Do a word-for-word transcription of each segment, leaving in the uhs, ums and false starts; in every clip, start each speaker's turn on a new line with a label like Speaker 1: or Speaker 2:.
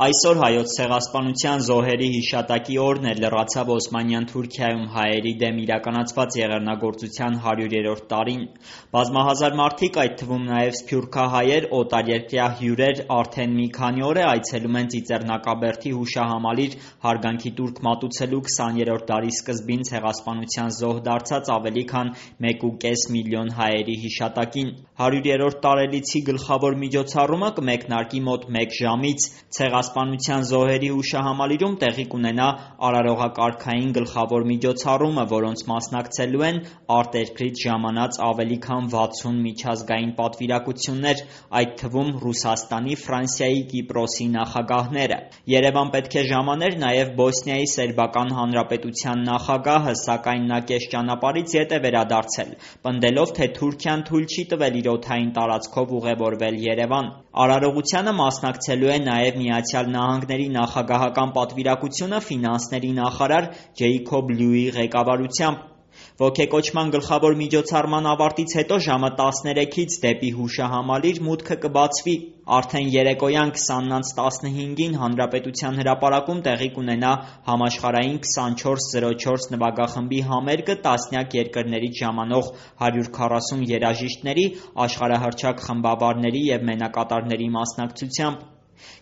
Speaker 1: Այսօր Հայոց ցեղասպանության զոհերի հիշատակի օրն է, լրացավ Օսմանյան Թուրքիայում հայերի դեմ իրականացված եղեռնագործության հարյուրերորդ տարին: Բազմահազար մարդիկ, այդ թվում նաև սփյուռքահայեր, օտարերկրյա հյուրեր արդեն մի քանի օր է այցելում են Ծիծեռնակաբերդի հուշահամալիր հարգանքի տուրք մատուցելու քսաներորդ դարի սկզբին ցեղասպանության զոհ դարձած ավելի քան մեկ ու կես միլիոն հայերի հիշատակին: Հարյուրերորդ տարելիցի գլխավոր միջոցառումը կմեկնարկի մոտ մեկ ժամից: Ցեղասպանության զոհերի հուշահամալիրում տեղի կունենա արարողակարգային գլխավոր միջոցառումը, որոնց մասնակցելու են արտերկրից ժամանած ավելի քան վաթսուն միջազգային պատվիրակություններ, այդ թվում Ռուսաստանի, Ֆրանսիայի, Կիպրոսի նախագահները: Երևան պետք է ժամաներ նաև Բոսնիայի Սերբական Հանրապետության նախագահը, սակայն նա կես ճանապարհից ետ է վերադարձել, պնդելով, թե Թուրքիան թույլ չի տվել իր օդային տարածքով ուղևորվել Երևան: Արարողությանը մասնակցելու է նաև Միացյալ Նահանգների նախագահական պատվիրակությունը ֆինանսների նախարար Ջեյքոբ Լյուի ղեկավարությամբ: Ոգեկոչման գլխավոր միջոցառման ավարտից հետո ժամը տասներեքից դեպի հուշահամալիր մուտքը կբացվի: Արդեն երեկոյան քսանն անց տասնհինգին Հանրապետության հրապարակում տեղի կունենա համաշխարհային քսանչորս զրո չորս նվագախմբի համերգը տասնյակ երկրներից ժամանող հարյուր քառասուն երաժիշտների, աշխարհահռչակ խմբավարների և մենակատարների մասնակցությամբ: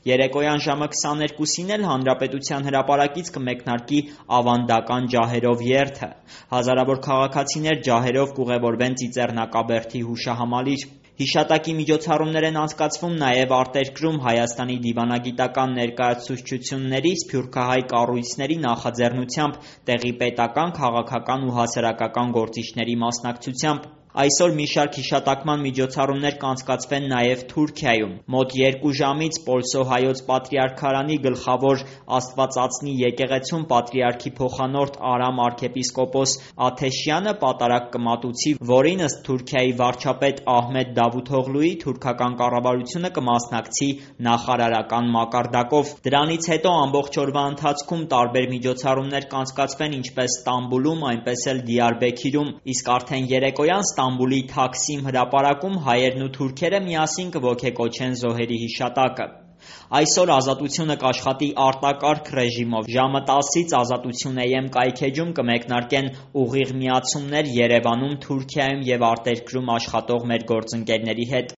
Speaker 1: Երեկոյան ժամը քսաներկուսին էլ Հանրապետության հրապարակից կմեկնարկի ավանդական ջահերով երթը: Հազարավոր քաղաքացիներ ջահերով կուղևորվեն Ծիծեռնակաբերդի հուշահամալիր: Հիշատակի միջոցառումներ են անցկացվում նաև արտերկրում Հայաստանի դիվանագիտական ներկայացուցչությունների, սփյուռքահայ կառույցների նախաձեռնությամբ, տեղի պետական, քաղաքական ու հասարակական գործիչների մասնակցությամբ: Այսօր մի շարք հիշատակման միջոցառումներ կանցկացվեն նաև Թուրքիայում: Մոտ երկու ժամից Պոլսո հայոց պատրիարքարանի գլխավոր Աստվածածնի եկեղեցում պատրիարքի փոխանորդ Արամ arքեպիսկոպոս Աթեշյանը պատարագ կմատուցի, որին ըստ Թուրքիայի վարչապետ Ահմեդ Դավութօղլուի թուրքական կառավարությունը կմասնակցի նախարարական մակարդակով: Դրանից հետո ամբողջ օրվա ընթացքում տարբեր միջոցառումներ կանցկացվեն ինչպես Ստամբուլում, այնպես էլ Դիարբեքիրում, իսկ արդեն երեկոյան Ստամբուլի Թաքսիմ հրապարակում հայերն ու թուրքերը միասին կոգեկոչեն զոհերի հիշատակը: Այսօր Ազատությունը կաշխատի արտակարգ ռեժիմով: Ժամը տասից Ազատություն Am կայքէջում կմեկնարկեն ուղիղ միացումներ Երևանում, Թուրքիայում և արտերկրում աշխատող մեր գործընկերների հետ: